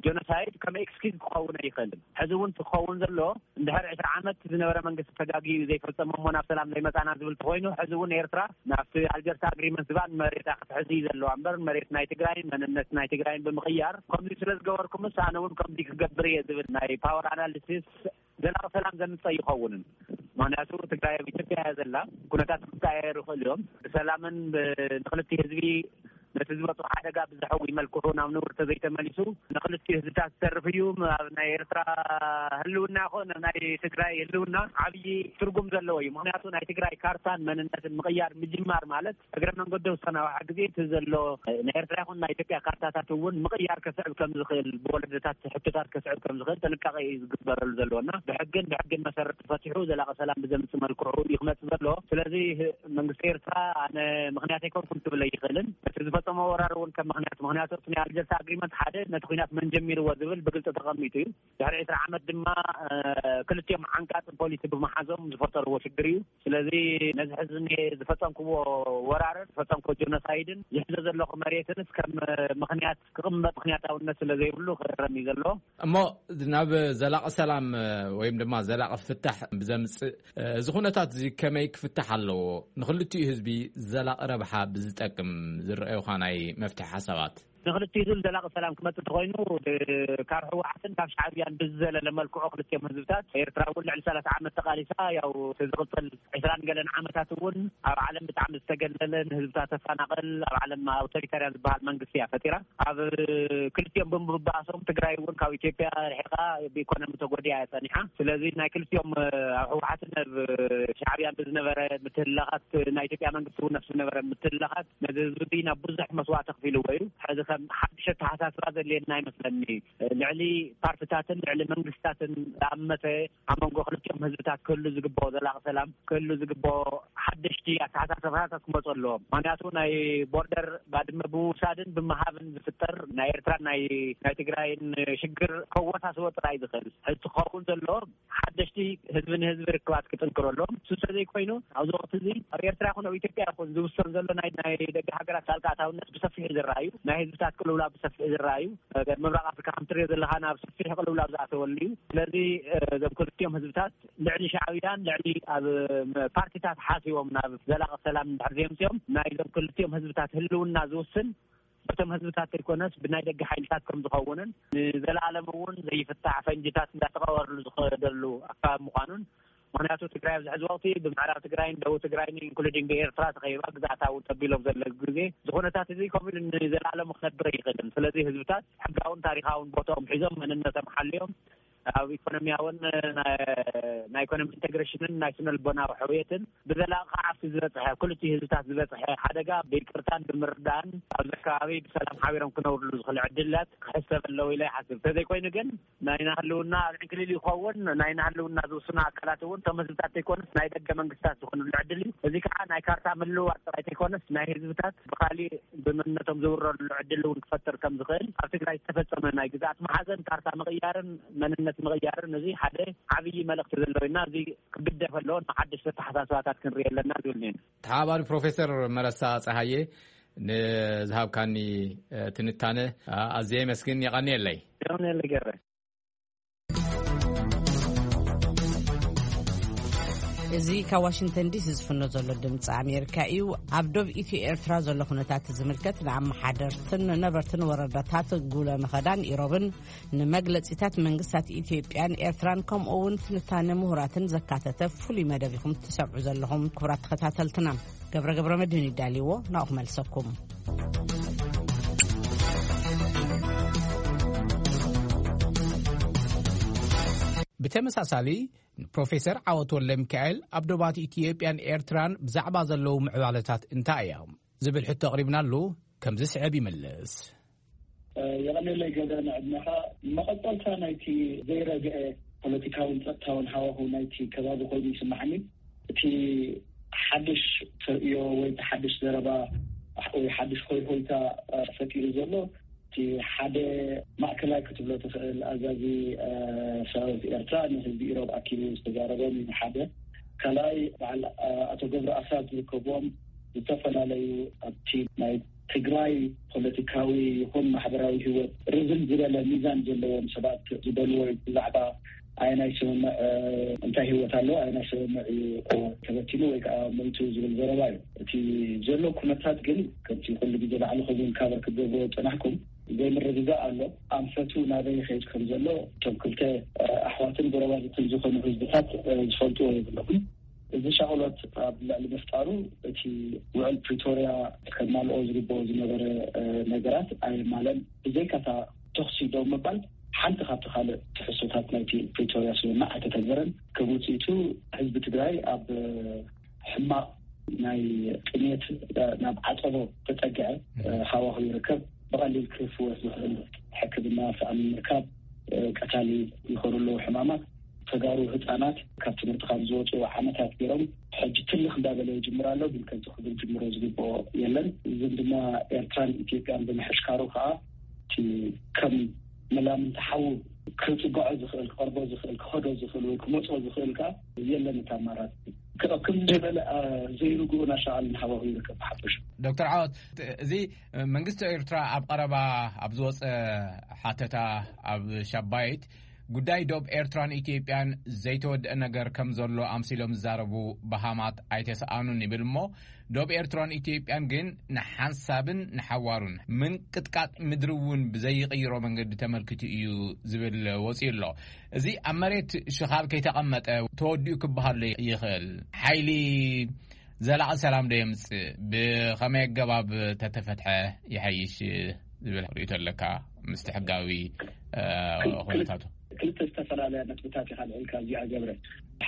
ጀኖሳይድ ከም ኤክስኪዝ ክኸውን ኣይኽእልን። ሕዚ እውን ክኸውን ዘሎ እንድሕር ዕስራ ዓመት ዝነበረ መንግስቲ ተጋጊዩ ዘይፈጸሞ እሞ ናብ ሰላም ዘይመጻና ዝብል ተኾይኑ፣ ሕዚ እውን ኤርትራ ናብቲ ኣልጀርስ ኣግሪመንት ዝባን መሬታ ክትሕዝ እዩ ዘለዋ እምበር መሬት ናይ ትግራይን መንነት ናይ ትግራይን ብምቕያር ከምዚ ስለ ዝገበርኩምስ ኣነ እውን ከምዚ ክገብር እየ ዝብል ናይ ፓወር ኣናሊሲስ ዘላቂ ሰላም ዘምፀ ይኸውንን። ምክንያቱ ትግራይ ኣብ ኢትዮጵያ እያ ዘላ። ኩነታት ክቀያየሩ ይኽእሉ እዮም። ብሰላምን ብ-፣ ንክልቲ ህዝቢ ነቲ ዝበፅሖ ሓደጋ ብዘሕዊ መልክዑ ናብ ንቡር ተዘይተመሊሱ ንክልቲኡ ህዝብታት ዝተርፍ እዩ። ኣብ ናይ ኤርትራ ህልውና ይኹን ኣብ ናይ ትግራይ ህልውና ዓብዪ ትርጉም ዘለዎ እዩ። ምክንያቱ ናይ ትግራይ ካርታን መንነትን ምቕያር ምጅማር ማለት እግረ መንገዱ ዝተናውሐ ግዜ እቲ ዘሎ ናይ ኤርትራ ይኹን ናይ ኢትዮጵያ ካርታታት እውን ምቕያር ከስዕብ ከም ዝኽእል፣ ብወለዶታት ሕቶታት ከስዕብ ከም ዝኽእል ጥንቃቄ እዩ ዝግበረሉ ዘሎ እና ብሕግን ብሕግን መሰረት ተፈቲሑ ዘላቂ ሰላም ብዘምፅእ መልክዑ እዩ ክመፅእ ዘሎ። ስለዚ መንግስቲ ኤርትራ ኣነ ምኽንያት ኣይኮንኩን ክብል ኣይኽእልን። እቲ ዝፈፀሞ ወራር እውን ከም ምኽንያት፣ ምኽንያቱ እቲ ናይ ኣልጀርስ ኣግሪመንት ሓደ ነቲ ኩናት መን ጀሚርዎ ዝብል ብግልፂ ተቐሚጡ እዩ። ድሕሪ ዕስራ ዓመት ድማ፣ እ፣ ክልቲኦም ዓንቃጽ ፖሊሲ ብምሓዞም ዝፈጠርዎ ሽግር እዩ። ስለዚ ነዚ ሕዚ እኔ ዝፈጸምክዎ ወራርን ዝፈጸምክዎ ጀኖሳይድን ዝሕዞ ዘለኹ መሬትንስ ከም ምኽንያት ክቕመጥ ምኽንያታውነት ስለ ዘይብሉ ክእረም እዩ ዘለዎ። እሞ ናብ ዘላቒ ሰላም ወይም ድማ ዘላቒ ፍታሕ ብዘምጽእ እዚ ኩነታት እዚ ከመይ ክፍታሕ ኣለዎ? ንኽልቲኡ ህዝቢ ዘላቒ ረብሓ ብዝጠቅም ዝረኣዩኻ ናይ መፍትሒ ሓሳባት? ንኽልቲኡ ህዝቢ ዘላቒ ሰላም ክመጽእ እንተኾይኑ፣ ካብ ህወሓትን ካብ ሻዕብያን ብዝዘለለ መልክዑ ክልቲኦም ህዝብታት፣ ኤርትራ እውን ልዕሊ ሰላሳ ዓመት ተቓሊሳ፣ ያው እቲ ዝቕጽል ዕስራን ገለን ዓመታት እውን ኣብ ዓለም ብጣዕሚ ዝተገለለ፣ ንህዝብታት ተፈናቕል፣ ኣብ ዓለም ኣውቶሪታርያን ዝበሃል መንግስቲ እያ ፈጢራ። ኣብ ክልቲኦም ብምብኣሶም ትግራይ እውን ካብ ኢትዮጵያ ርሒቓ ብኢኮኖሚ ተጎዲኣ እያ ጸኒሓ። ስለዚ ናይ ክልቲኦም፣ ኣብ ህወሓትን ኣብ ሻዕብያን ብዝነበረ ምትህልላኻት፣ ናይ ኢትዮጵያ መንግስቲ እውን ነፍሲ ዝነበረ ምትህልላኻት ነዚ ህዝቢ ናብ ብዙሕ መስዋእቲ ኣኽፊልዎ እዩ። ሕዚ ከ ሓድሽ ኣተሓሳስባ ዘድልየና ይመስለኒ። ልዕሊ ፓርትታትን ልዕሊ መንግስታትን ዝኣመተ ኣብ መንጎ ክልቲኦም ህዝብታት ክህሉ ዝግብኦ ዘላቂ ሰላም ክህሉ ዝግብኦ ሓደሽቲ ኣተሓሳስባታት ክመፁ ኣለዎም። ምክንያቱ ናይ ቦርደር ባድመ ብምውሳድን ብምሃብን ዝፍጠር ናይ ኤርትራን ናይ ናይ ትግራይን ሽግር ከወሳስቦ ጥራይ ዝኽእል ሕዚ ክኸውን ዘለዎ ሓደሽቲ ህዝቢ ንህዝቢ ርክባት ክጥንክሩ ኣለዎም። እሱ እንተዘይኮይኑ ኣብዚ ወቅቲ እዚ ኣብ ኤርትራ ይኹን ኣብ ኢትዮጵያ ይኹን ዝውሰን ዘሎ ናይ ናይ ደገ ሃገራት ጣልቃ ኣታውነት ብሰፊሑ ዝረኣዩ ናይ ህዝብታት ቅልውላው ብሰፊሑ ዝረኣዩ ምብራቅ ኣፍሪካ ከም ትሪኦ ዘለካ ናብ ሰፊሕ ቅልውላው ዝኣተወሉ እዩ። ስለዚ እዞም ክልቲኦም ህዝብታት ልዕሊ ሻዕብያን ልዕሊ ኣብ ፓርቲታት ሓሲቦም ናብ ዘላቂ ሰላም እንድሕር ዘምፅኦም ናይዞም ክልቲኦም ህዝብታት ህልውና ዝውስን በቶም ህዝብታት ዘይኮነስ ብናይ ደገ ሓይልታት ከም ዝኸውንን ንዘለኣለም እውን ዘይፍታሕ ፈንጅታት እንዳተቐበረሉ ዝኸደሉ ኣካባቢ ምዃኑን ምክንያቱ ትግራይ ኣብዚ ሕዚ ወቅቲ ብምዕራብ ትግራይን ደቡብ ትግራይን ኢንክሉዲንግ ብኤርትራ ተኸይባ ግዛእታ እውን ተቢሎም ዘለሉ ግዜ እዚ ኩነታት እዚ ከምኡ ኢሉ ንዘለኣለም ክነብር ኣይኽእልን። ስለዚ ህዝብታት ሕጋውን ታሪካውን ቦታኦም ሒዞም መንነቶም ሓልዮም ኣብ ኢኮኖሚያውን ናይ ኢኮኖሚ ኢንቴግሬሽንን ናይ ስነ ልቦናዊ ሕውየትን ብዘላቂ ከዓ ኣብቲ ዝበፅሐ ክልቲኡ ህዝብታት ዝበፅሐ ሓደጋ ብይቅርታን ብምርዳእን ኣብዚ ከባቢ ብሰላም ሓቢሮም ክነብርሉ ዝኽእል ዕድላት ክሕሰብ ኣለዎ ኢለ ይሓስብ። እንተዘይኮይኑ ግን ናይና ህልውና ኣብ ዕንክሊል ይኸውን። ናይና ህልውና ዝውስኑ ኣካላት እውን እቶም ህዝብታት ዘይኮነስ ናይ ደገ መንግስታት ዝኾኑሉ ዕድል እዩ። እዚ ከዓ ናይ ካርታ ምልውዋጥ ጥራይ ዘይኮነስ ናይ ህዝብታት ብካሊእ ብመንነቶም ዝውረርሉ ዕድል እውን ክፈጥር ከም ዝኽእል ኣብ ትግራይ ዝተፈጸመ ናይ ግዝኣት መሓዘን ካርታ ምቕያርን መንነት ምቕያርን እዚ ሓደ ዓብዪ መልእኽቲ ዘለዎ እና እዚ ክግደፍ ኣለዎ። ንሓደሽቲ ኣተሓሳስባታት ክንርኢ ኣለና ዝብል ነና። ተሓባሪ ፕሮፌሰር መረሳ ፀሃየ ንዝሃብካኒ ትንታነ ኣዝየ የመስግን። የቐንየለይ። የቐንየለይ ገረ። እዚ ካብ ዋሽንግተን ዲሲ ዝፍኖ ዘሎ ድምፂ ኣሜሪካ እዩ። ኣብ ዶብ ኢትዮ ኤርትራ ዘሎ ኩነታት ዝምልከት ንኣመሓደርትን ነበርትን ወረዳታት ጉለ መኸዳን ኢሮብን ንመግለጺታት መንግስታት ኢትዮጵያን ኤርትራን ከምኡ እውን ትንታነ ምሁራትን ዘካተተ ፍሉይ መደብ ኢኹም ትሰምዑ ዘለኹም። ክቡራት ተኸታተልትና ገብረ ገብረ መድህን ይዳልዎ ናኡ ክመልሰኩም። ብተመሳሳሊ ፕሮፌሰር ዓወት ወልደ ሚካኤል ኣብ ዶባት ኢትዮጵያን ኤርትራን ብዛዕባ ዘለዉ ምዕባለታት እንታይ እዮም ዝብል ሕቶ ኣቕሪብናሉ። ከምዚ ስዕብ ይምልስ። የቐኔለይ ገደ ንዕድመኻ። መቐጸልታ ናይቲ ዘይረግአ ፖለቲካውን ጸጥታውን ሃዋሁ ናይቲ ከባቢ ኮይኑ ይስምዓኒ። እቲ ሓድሽ ተርእዮ ወይ እቲ ሓድሽ ዘረባ ወይ ሓድሽ ሆይሆይታ ፈጢሩ ዘሎ እቲ ሓደ ማእከላይ ክትብሎ ትኽእል ኣዛዚ ሰራዊት ኤርትራ ንህዝቢ ኢሮብ ኣኪቡ ዝተዛረቦም ሓደ ካልኣይ በዓል ኣቶ ገብሩ ኣስራት ዝርከብዎም ዝተፈላለዩ ኣብቲ ናይ ትግራይ ፖለቲካዊ ይኹን ማሕበራዊ ህይወት ርዝን ዝበለ ሚዛን ዘለዎም ሰባት ዝበልዎ ብዛዕባ ኣየናይ ስምምዕ እንታይ ህይወት ኣለዎ ኣየናይ ስምምዕ እዩ ተበቲኑ ወይ ከዓ ሞይቱ ዝብል ዘረባ እዩ። እቲ ዘሎ ኩነታት ግን ከምቲ ኩሉ ግዜ ላዕሊ ከምኡ ኢልካ በርክት ገብሮ ዝፀናሕኩም ዘይምርግጋእ ኣሎ። ኣንፈቱ ናበይ ይኸይድ ከም ዘሎ እቶም ክልተ ኣሕዋትን ጎረባብትን ዝኾኑ ህዝብታት ዝፈልጥዎ የብሎምን። እዚ ሻቕሎት ኣብ ልዕሊ ምፍጣሩ እቲ ውዕል ፕሪቶርያ ከማልኦ ዝግብኦ ዝነበረ ነገራት ኣየማለን። ብዘይካታ ተኽሲ ደው ምባል ሓንቲ ካብቲ ካልእ ትሕዝቶታት ናይቲ ፕሪቶርያ ስምምዕ ኣይተተግበረን። ከም ውፅኢቱ ህዝቢ ትግራይ ኣብ ሕማቕ ናይ ጥሜት ናብ ዓፀቦ ተፀግዐ ሃዋሁ ይርከብ። ብቐሊል ክፍወስ ዝኽእል ሕክምና ሰኣን ምርካብ፣ ቀታሊ ይኾኑ ኣለዉ ሕማማት። ተጋሩ ህፃናት ካብ ትምህርቲ ካብ ዝወፁ ዓመታት ገይሮም ሕጂ ትልኽ እንዳበለ ይጅምር ኣሎ፣ ግን ከምዚ ክብል ጅምሮ ዝግብኦ የለን። እዝን ድማ ኤርትራን ኢትዮጵያን ብምሕሽካሩ ከዓ እቲ ከም መላምንቲ ሓዉ ክፅግዖ ዝኽእል ክቐርቦ ዝኽእል ክኸዶ ዝኽእል ወይ ክመፅኦ ዝኽእል ከዓ የለን። እቲ ኣማራፂ ክቕክም ዝበለ ዘይርግኡ ናሻቓልን ሃዋሁ ይርከብ ብሓፈሹ። ዶክተር ዓወት፣ እዚ መንግስቲ ኤርትራ ኣብ ቀረባ ኣብ ዝወፀ ሓተታ ኣብ ሻባይት ጉዳይ ዶብ ኤርትራን ኢትዮጵያን ዘይተወደአ ነገር ከም ዘሎ ኣምሲሎም ዝዛረቡ በሃማት ኣይተሰኣኑን ይብል እሞ ዶብ ኤርትራን ኢትዮጵያን ግን ንሓንሳብን ንሓዋሩን ምንቅጥቃጥ ምድሪ እውን ብዘይቕይሮ መንገዲ ተመልኪቱ እዩ ዝብል ወፂኡ ኣሎ። እዚ ኣብ መሬት ሽኻል ከይተቐመጠ ተወዲኡ ክበሃሉ ይኽእል። ሓይሊ ዘላቒ ሰላም ዶ የምፅእ? ብኸመይ ኣገባብ ተተፈትሐ ይሓይሽ ዝብል ርእይቶ ኣለካ? ምስቲ ሕጋዊ ኩነታቱ ክልተ ዝተፈላለያ ነጥብታት ኢኻ ልዕልካ እዚኣ ገብረ።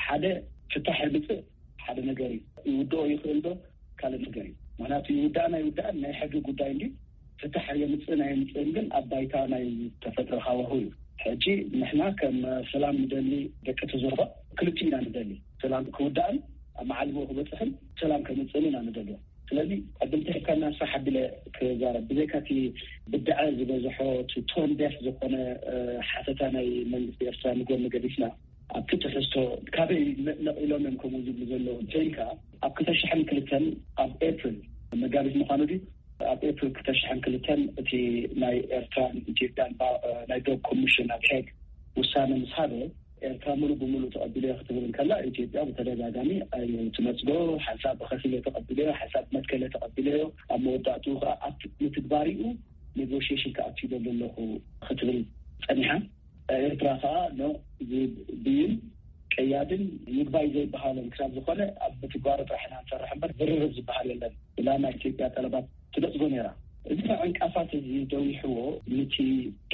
ሓደ ፍታሕ የምፅእ ሓደ ነገር እዩ። ይውድኦ ይኽእል ዶ ካልእ ነገር እዩ። ምክንያቱ ይውዳእን ኣይውዳእን ናይ ሕጊ ጉዳይ እንዲ ፍታሕ የምፅእን ኣየምፅእን ግን ኣብ ባይታ ናይ ተፈጥሮ ሃዋሁ እዩ። ሕጂ ንሕና ከም ሰላም ንደሊ ደቂ እቲ ዞባ ክልቲኡ ኢና ንደሊ። ሰላም ክውዳእን ኣብ መዓልቦ ክበፅሕን ሰላም ከምፅእን ኢና ንደልዮ። ስለዚ ዕድል ተሂብካና ንሳ ሓቢለ ክዛረብ። ብዘይካ እቲ ብድዐ ዝበዝሖ፣ እቲ ቶን ደፍ ዝኾነ ሓተታ ናይ መንግስቲ ኤርትራ ንጎኒ ገዲፍና፣ ኣብቲ ትሕዝቶ ካበይ ነቒሎም እዮም ከምኡ ዝብሉ ዘለዉ እንተይልካ፣ ኣብ ክልተ ሽሕን ክልተን ኣብ ኤፕሪል፣ መጋቢት ምዃኑ ድዩ? ኣብ ኤፕሪል ክልተ ሽሕን ክልተን እቲ ናይ ኤርትራን ኢትዮጵያን ናይ ዶብ ኮሚሽን ኣብ ሄግ ውሳነ ምስ ሃበ፣ ኤርትራ ሙሉእ ብሙሉእ ተቐቢለዮ ክትብል እንከላ፣ ኢትዮጵያ ብተደጋጋሚ ኣይትነጽጎ፣ ሓንሳብ ብኸፊል ተቐቢለዮ፣ ሓንሳብ መትከለ ተቐቢለዮ፣ ኣብ መወዳእትኡ ከዓ ኣብ ምትግባሪኡ ኔጎሽሽን ክኣቱ ይደሊ ኣለኹ ክትብል ጸኒሓ። ኤርትራ ከዓ ኖ ዝብል ብይን ቀያድን ይግባይ ዘይበሃልን ክሳብ ዝኾነ ኣብ ምትግባሩ ጥራሕ ኢና ንሰርሕ እምበር ዝርርብ ዝበሃል የለን። ብላ ናይ ኢትዮጵያ ጠለባት ትነጽጎ ነይራ። እዚ ዕንቃፋት እዚ ደዊሕዎ፣ ነቲ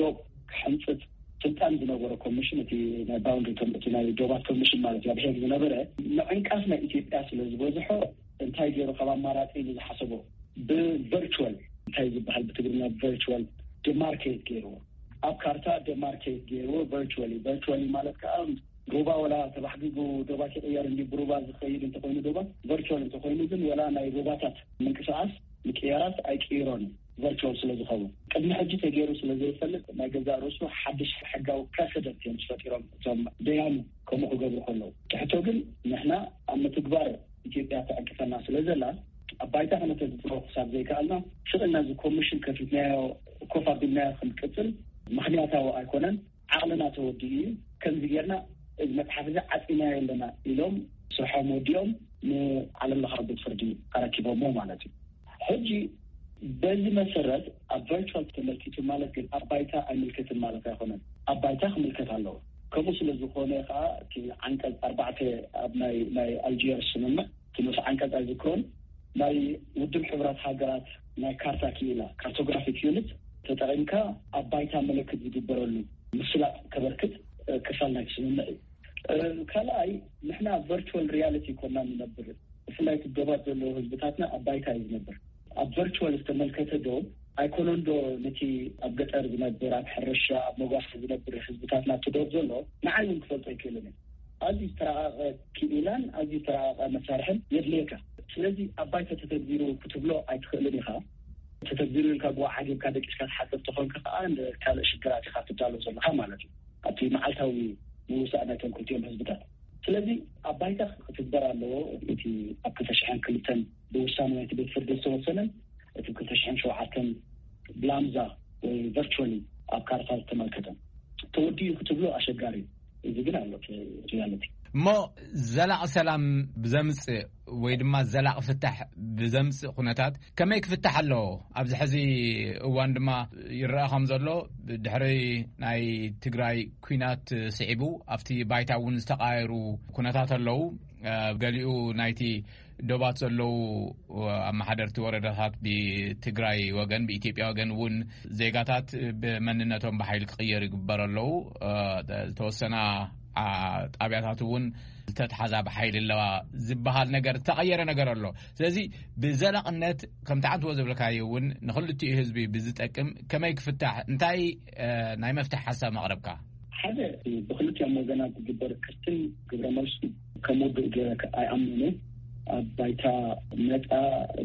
ዶብ ክሕንጽጽ ስልጣን ዝነበረ ኮሚሽን፣ እቲ ናይ ባውንድሪ ኮሚ-፣ እቲ ናይ ዶባት ኮሚሽን ማለት እዩ፣ ኣብ ሄግ ዝነበረ ምዕንቃፍ ናይ ኢትዮጵያ ስለ ዝበዝሖ፣ እንታይ ገይሩ ካብ ኣማራጺ ኢሉ ዝሓሰቦ፣ ብቨርቹዋል፣ እንታይ ዝበሃል ብትግርኛ ቨርቹዋል፣ ዲማርኬት ገይርዎ። ኣብ ካርታ ዲማርኬት ገይርዎ፣ ቨርቹዋሊ። ቨርቹዋሊ ማለት ከዓ ሩባ ወላ ተባሕጊጉ ዶባት ይቕየር እንዲ ብሩባ ዝኸይድ እንተኾይኑ፣ ዶባት ቨርቹዋል እንተኾይኑ ግን ወላ ናይ ሩባታት ምንቅስቃስ ምቅያራት ኣይቅይሮን፣ ቨርቹዋል ስለ ዝኸውን። ቅድሚ ሕጂ ተገይሩ ስለ ዘይፈልጥ፣ ናይ ገዛእ ርእሱ ሓድሽ ሕጋዊ ፕረሰደንት እዮም ዝፈጢሮም እቶም ደያኑ ከምኡ ክገብሩ ከለዉ። ትሕቶ ግን ንሕና ኣብ ምትግባር ኢትዮጵያ ተዕቅፈና ስለ ዘላ፣ ኣብ ባይታ ክነተግብሮ ክሳብ ዘይከኣልና፣ ስቕ ኢልና እዚ ኮሚሽን ከፊትናዮ፣ ኮፍ ኣቢልናዮ ክንቅጽል ምኽንያታዊ ኣይኮነን። ዓቕልና ተወዲኡ እዩ። ከምዚ ጌርና እዚ መጽሓፍ እዚ ዓጺናዮ ኣለና ኢሎም ስርሖም ወዲኦም ንዓለም ለኻዊ ቤት ፍርዲ ኣረኪቦሞ ማለት እዩ። ሕጂ በዚ መሰረት ኣብ ቨርቹዋል ተመልኪቱ ማለት ግን ኣብ ባይታ ኣይምልከትን ማለት ኣይኮነን። ኣብ ባይታ ክምልከት ኣለዎ። ከምኡ ስለ ዝኾነ ከዓ እቲ ዓንቀጽ ኣርባዕተ ኣብ ናይ፣ ናይ ኣልጀርስ ስምምዕ እቲ ንኡስ ዓንቀጽ ኣይዝክሮን፣ ናይ ውድብ ሕብራት ሃገራት ናይ ካርታ ክኢላ፣ ካርቶግራፊክ ዩኒት፣ ተጠቒምካ ኣብ ባይታ ምልክት ዝግበረሉ ምስላጥ ከበርክት፣ እ፣ ክፋል ናይቲ ስምምዕ እዩ። እ፣ ካልኣይ፣ ንሕና ቨርቹዋል ሪያሊቲ ኮና ንነብር። ብፍላይ እቲ ዶባት ዘለዉ ህዝብታትና ኣብ ባይታ እዩ ዝነብር። ኣብ ቨርቹዋል ዝተመልከተ ዶብ ኣይኮነን ዶ ነቲ ኣብ ገጠር ዝነብር፣ ኣብ ሕርሻ፣ ኣብ መጓሰ ዝነብር ህዝብታትና እቲ ዶብ ዘሎ ንዓይ እውን ክፈልጦ ኣይክእልን እዩ። ኣዝዩ ዝተራቐቐ ክኢላን ኣዝዩ ዝተራቐቐ መሳርሕን የድልየካ። ስለዚ ኣብ ባይታ ተተግቢሩ ክትብሎ ኣይትኽእልን ኢኻ። ተተግቢሩ ኢልካ ብኡ ዓጊብካ ደቂስካ ትሓድር ተኾንካ ከኣ ንካልእ ሽግራት ኢኻ ትዳሎ ዘለኻ ማለት እዩ። ኣብቲ መዓልታዊ ምውሳእ ናይቶም ክልቲኦም ህዝብታት። ስለዚ ኣብ ባይታ ክትግበር ኣለዎ። እቲ ኣብ ክልተ ሽሕን ክልተን ብውሳነ ናይቲ ቤት ፍርዲ ዝተወሰነን እቲ ክልተ ሽሕን ሸውዓተን ብላምዛ ወይ ቨርቹዋሊ ኣብ ካርታ ዝተመልከተ ተወዲኡ ክትብሎ ኣሸጋሪ እዩ። እዚ ግን ኣሎ ሪያሊቲ። እሞ ዘላቒ ሰላም ብዘምጽእ ወይ ድማ ዘላቒ ፍታሕ ብዘምጽእ ኩነታት ከመይ ክፍታሕ ኣለዎ? ኣብዚ ሕዚ እዋን ድማ ይረኣ ከም ዘሎ ድሕሪ ናይ ትግራይ ኩናት ስዒቡ ኣብቲ ባይታ እውን ዝተቃየሩ ኩነታት ኣለዉ። እ፣ ገሊኡ ናይቲ ዶባት ዘለዉ ኣመሓደርቲ ወረዳታት ብትግራይ ወገን፣ ብኢትዮጵያ ወገን እውን ዜጋታት ብመንነቶም ብሓይሊ ክቕየር ይግበር ኣለዉ። እ፣ ዝተወሰና፣ ኣ፣ ጣብያታት እውን ዝተትሓዛ ብሓይሊ ኣለዋ ዝበሃል ነገር፣ ዝተቐየረ ነገር ኣሎ። ስለዚ ብዘላቕነት ከምቲ ዓንትዎ ዝብልካዮ እውን ንኽልቲኡ ህዝቢ ብዝጠቅም ከመይ ክፍታሕ፣ እንታይ፣ እ፣ ናይ መፍትሒ ሓሳብ መቕረብካ? ሓደ፣ ብክልቲኦም ወገናት ዝግበር ክትትል ግብረ መልሱ ከም ውዱእ ገይረ ኣይኣምንን። ኣብ ባይታ መጻ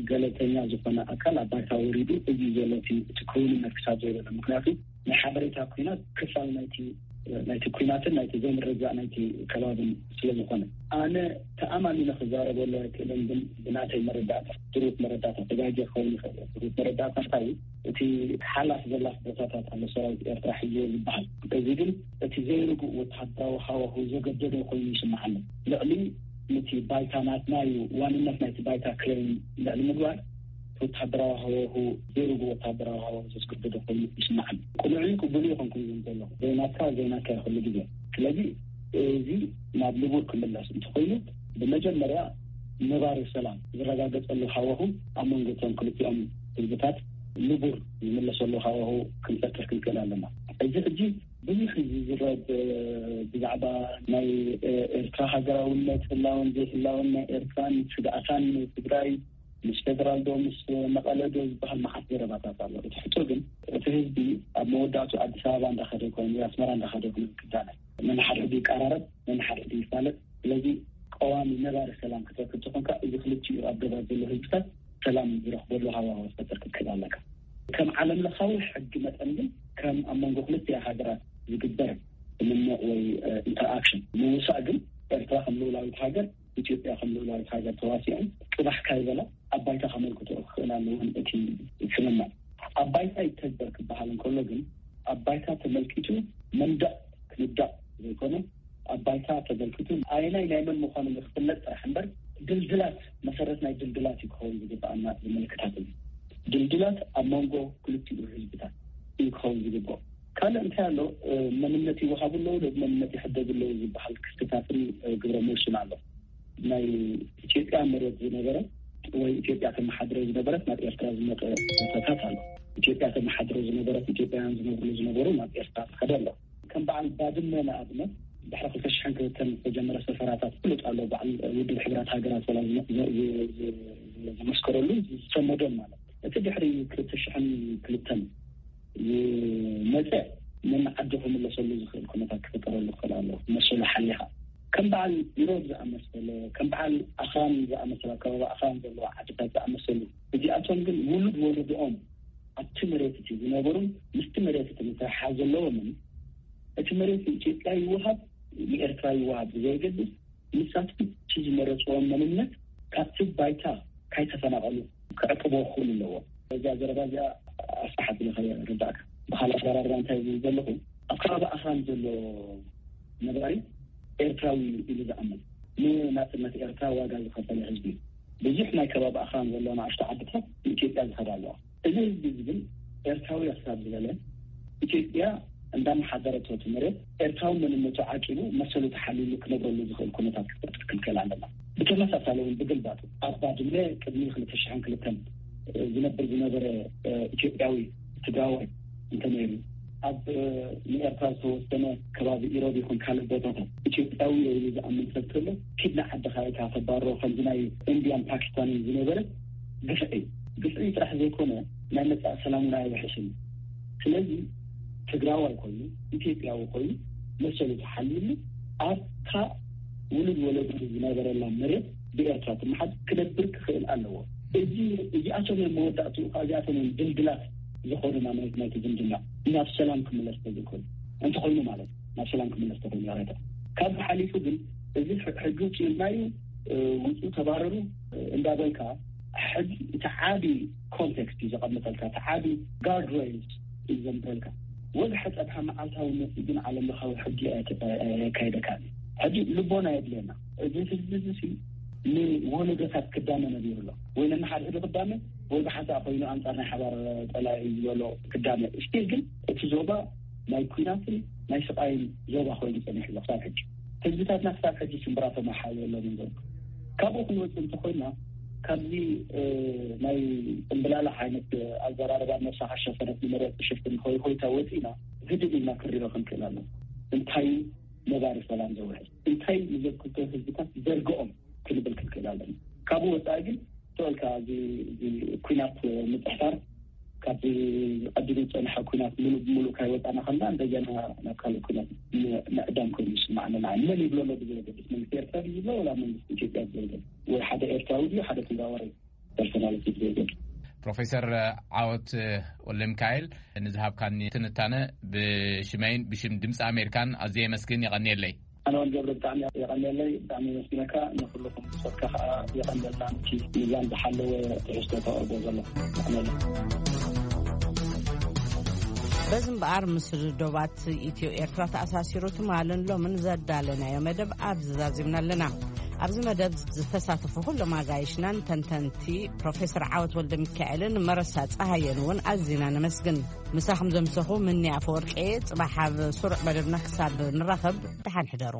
ገለልተኛ ዝኾነ ኣካል ኣብ ባይታ ወሪዱ እዚ ዘሎ እቲ፣ እቲ ክውንነት ክሳብ ዘይበለ፣ ምክንያቱ ናይ ሓበሬታ ኩናት ክፋል ናይቲ፣ ናይቲ ኩናትን ናይቲ ዘይምርግጋእ ናይቲ ከባብን ስለ ዝኾነ፣ ኣነ ተኣማሚነ ክዛረበሉ ኣይክእልን። ግን ብናተይ መረዳእታ፣ ድሩት መረዳእታ፣ ተጋጊ ክኸውን ይኽእል እየ። ድሩት መረዳእታ እንታይ እዩ? እቲ ሓላፍ ዘላፍ ቦታታት ኣሎ ሰራዊት ኤርትራ ሒዝዎ ዝበሃል። እዚ ግን እቲ ዘይርጉእ ወተሃደራዊ ሃዋሁ ዘገደዶ ኮይኑ ይስምዓኒ። ልዕሊ ነቲ ባይታ ናትና እዩ፣ ዋንነት ናይቲ ባይታ ክሌም ልዕሊ ምግባር፣ ወተሃደራዊ ሃዋሁ፣ ዘይርጉእ ወተሃደራዊ ሃዋሁ ዘስገደዶ ኮይኑ ይስምዓኒ። ቅኑዕን ቅቡል ይኾንኩን ዝብል ዘለኹ። ዘይናትካ፣ ዘይናትካ እዩ ኩሉ ግዜ። ስለዚ እዚ ናብ ንቡር ክምለስ እንተኾይኑ፣ ብመጀመርያ ነባሪ ሰላም ዝረጋገጸሉ ሃዋሁ ኣብ መንጎ እቶም ክልቲኦም ህዝብታት ንቡር ዝምለሰሉ ሃዋሁ ክንፈጥር ክንክእል ኣለና። እዚ ሕጂ ብዙሕ ዝዝረብ፣ እ፣ ብዛዕባ ናይ፣ እ፣ ኤርትራ ሃገራውነት፣ ህላወን ዘይህላወን ናይ ኤርትራን ስግኣታን ትግራይ ምስ ፌደራል ዶ ምስ መቐለ ዶ ዝበሃል መዓት ዘረባታት ኣሎ። እቲ ሕቶ ግን እቲ ህዝቢ ኣብ መወዳእቱ ኣዲስ ኣበባ እንዳኸደ ይኮን ወይ ኣስመራ እንዳኸደ ይኮን ክዳነ። ነንሓድሕዱ ይቀራረብ፣ ነንሓድሕዱ ይፋለጥ። ስለዚ ቀዋሚ ነባሪ ሰላም ክትረክብ ተኾንካ፣ እዚ ክልቲኡ ኣገባብ ዘሎ ህዝብታት ሰላም ዝረኽበሉ ሃዋህው ክትፈጥር ክትክእል ኣለካ። ከም ዓለም ለኻዊ ሕጊ መጠን ግን ከም ኣብ መንጎ ክልቲኣ ሃገራት ዝግበር ስምምዕ ወይ ኢንተርኣክሽን ምውሳእ ግን ኤርትራ ከም ልኡላዊት ሃገር፣ ኢትዮጵያ ከም ልኡላዊት ሃገር ተዋሲኦም ጥባሕ ካይበላ ኣብ ባይታ ከመልክቶ ክኽእል ኣለዎን እቲ ስምምዕ ኣብ ባይታ ይተግበር ክበሃል እንከሎ ግን ኣብ ባይታ ተመልኪቱ መንደቕ ክንዳቕ ዘይኮነ ኣብ ባይታ ተመልኪቱ ኣየናይ ናይ መን ምዃኑ ንክፍለጥ ጥራሕ እምበር ድልድላት መሰረት ናይ ድልድላት እዩ ክኸውን ዝግበኣና ዝምልክታት እዩ። ድልድላት ኣብ መንጎ ክልቲኡ ህዝብታት እዩ ክኸውን ዝግበኦ። ካልእ እንታይ ኣሎ? መንነት ይወሃቡ ኣለዉ ዶ መንነት ይሕደጉ ኣለዉ ዝበሃል ክስተታትን ግብረ መልሱን ኣሎ። ናይ ኢትዮጵያ መሬት ዝነበረ ወይ ኢትዮጵያ ተመሓድረ ዝነበረት ናብ ኤርትራ ዝመጠ ቦታታት ኣሎ። ኢትዮጵያ ተመሓድረ ዝነበረት ኢትዮጵያውያን ዝነብሩ ዝነበሩ ናብ ኤርትራ ዝኸደ ኣሎ። ከም በዓል ባድመ ንኣብነት ድሕሪ ክልተ ሽሕን ክልተን ዝተጀመረ ሰፈራታት ፍሉጥ ኣሎ። በዓል ውድብ ሕብራት ሃገራት ወላ ዝመስከረሉ ዝሰመዶም ማለት እቲ ድሕሪ ክልተ ሽሕን ክልተን ዝመፀ ነንዓዲ ክምለሰሉ ዝኽእል ኩነታት ክፍጠረሉ ክኽእል ኣሎ። መሰሉ ሓሊኻ ከም በዓል ኢሮብ ዝኣመሰለ ከም በዓል ኣኽራን ዝኣመሰለ ኣከባቢ ኣኽራን ዘለዎ ዓድታት ዝኣመሰሉ እዚኣቶም ግን ውሉድ ወለድኦም ኣብቲ መሬት እቲ ዝነበሩን ምስቲ መሬት እቲ ምትሕሓዝ ዘለዎምን እቲ መሬት ንኢትዮጵያ ይወሃብ ንኤርትራ ይወሃብ ብዘየገድስ ንሳቶም እቲ ዝመረፅዎም መንነት ካብቲ ባይታ ካይተፈናቐሉ ክዕቅቦ ክኽእሉ ኣለዎ። እዛ ዘረባ እዚኣ ኣስሓት ኢለ ከረዳእካ ብካልእ ኣዘራርባ እንታይ ዝብል ዘለኹ ኣብ ከባቢ ኣኽራን ዘሎ ነባሪ ኤርትራዊ ኢሉ ዝኣምን ንናፅነት ኤርትራ ዋጋ ዝኸፈለ ህዝቢ ብዙሕ ናይ ከባቢ ኣኽራን ዘሎ ንኣሽቱ ዓድታት ንኢትዮጵያ ዝኸዳ ኣለዋ። እዚ ህዝቢ እዚ ግን ኤርትራዊ ክሳብ ዝበለ ኢትዮጵያ እንዳመሓደረቶ እቲ መሬት ኤርትራዊ መንነቱ ዓቂቡ መሰሉ ተሓሊሉ ክነብረሉ ዝኽእል ኩነታት ክፈጥር ክንክእል ኣለና። ብተመሳሳሊ እውን ብግልባጡ ኣብ ባድመ ቅድሚ ክልተ ሽሕን ክልተን ዝነብር ዝነበረ ኢትዮጵያዊ ትግራዋይ እንተነይሩ ኣብ ንኤርትራ ዝተወሰነ ከባቢ ኢሮብ ይኹን ካልእ ቦታታት ኢትዮጵያዊ ኢሉ ዝኣምን ሰብ ከሎ ኪድ ንዓድኻ ኢልካ ተባርሮ ከምዚ ናይ ኢንድያን ፓኪስታንን ዝነበረ ግፍዒ ግፍዒ ጥራሕ ዘይኮነ ናይ መጻኢ ሰላም እውን ኣየውሕስን እዩ። ስለዚ ትግራዋይ ኮይኑ ኢትዮጵያዊ ኮይኑ መሰሉ ተሓልዩሉ ኣብታ ውሉድ ወለዱ ዝነበረላ መሬት ብኤርትራ ትመሓዝ ክነብር ክኽእል ኣለዎ። እዚ እዚኣቶም እዮም መወዳእትኡ እዚኣቶም እዮም ድልድላት ዝኾኑና ናይቲ ዝምድና ናብ ሰላም ክምለስ ተዘይኮይኑ እንተኾይኑ ማለት ናብ ሰላም ክምለስ ተኾይኑ ያረዳ ካብ ሓሊፉ ግን እዚ ሕጂ ውፅኡ ኢልናዩ ውፅኡ ተባረሩ እንዳበልካ ሕጂ እቲ ዓቢ ኮንቴክስት እዩ ዘቐምጠልካ እቲ ዓቢ ጋርድ ሬልስ እዩ ዘምበልካ ወግሐ ፀብሐ መዓልታዊ መፅኢ ግን ዓለም ለኻዊ ሕጊ ኣየካይደካ ሕጂ ልቦና የድልየና እዚ ህዝቢ እዚ ንወለዶታት ክዳመ ነቢሩ ኣሎ ወይ ነንሓድሕዱ ክዳመ ወይ ብሓንሳእ ኮይኑ ኣንፃር ናይ ሓባር ፀላኢ ዝበሎ ክዳመ ስቲል ግን እቲ ዞባ ናይ ኩናትን ናይ ስቃይን ዞባ ኮይኑ ፀኒሑ ኣሎ ክሳብ ሕጂ ህዝብታትና ክሳብ ሕጂ ሽምብራ ተመሓየሎም ዘሎ ካብኡ ክንወፅእ እንተኮይና ካብዚ ናይ ፅምብላላ ዓይነት ኣዘራርባ ነብስኻ ሸፈነት ንመሬት ትሽፍን ሆይ ሆይታ ወፂና ህድእ ኢልና ክንሪኦ ክንክእል ኣሎ እንታይ ነባሪ ሰላም ዘውሕስ እንታይ ንዘክልተ ህዝብታት ዘርግኦም ክንብል ክንክእል ኣለና ካብኡ ወፃኢ ግን ተወልካ እዚ ኩናት ምፅሕታር ካብ ቀዲሙ ዝፀንሐ ኩናት ሙሉእ ብሙሉእ ካይወፃና ከላ እንደገና ናብ ካልእ ኩናት ምዕዳም ኮይኑ ይስማዓና ንዓይ መን ይብሎ ኣሎ ብዘየገድስ መንግስቲ ኤርትራ ድዩ ዝብሎ ወላ መንግስቲ ኢትዮጵያ ዝብሎ ወይ ሓደ ኤርትራዊ ድዩ ሓደ ትግራዋይ ፐርሶናሊቲ ብዘየገድስ ፕሮፌሰር ዓወት ወልደሚካኤል ንዝሃብካኒ ትንታነ ብሽመይን ብሽም ድምፂ ኣሜሪካን ኣዝየ የመስግን የቐንየለይ። ኣነ ውን ገብረ ብጣዕሚ የቐንየለይ፣ ብጣዕሚ የመስግነካ። ንኹልኹም ብጾትካ ከዓ የቐንየልና ነቲ ሚዛን ዝሓለወ ትሕዝቶ ተቕርቦ ዘለኹም። የቐንየለይ። በዚ እምበኣር ምስ ዶባት ኢትዮ ኤርትራ ተኣሳሲሩ ትማልን ሎምን ዘዳለናዮ መደብ ኣብዚ ዛዚምና ኣለና። ኣብዚ መደብ ዝተሳተፉ ኩሎም ኣጋይሽናን ተንተንቲ ፕሮፌሰር ዓወት ወልደ ሚካኤልን መረሳ ጸሃየን እውን ኣዚና ነመስግን። ምሳኹም ዘምሰኹ ምኒ ኣፈወርቂ እየ። ጽባሕ ኣብ ስሩዕ መደብና ክሳብ ንራኸብ ደሓን ሕደሩ።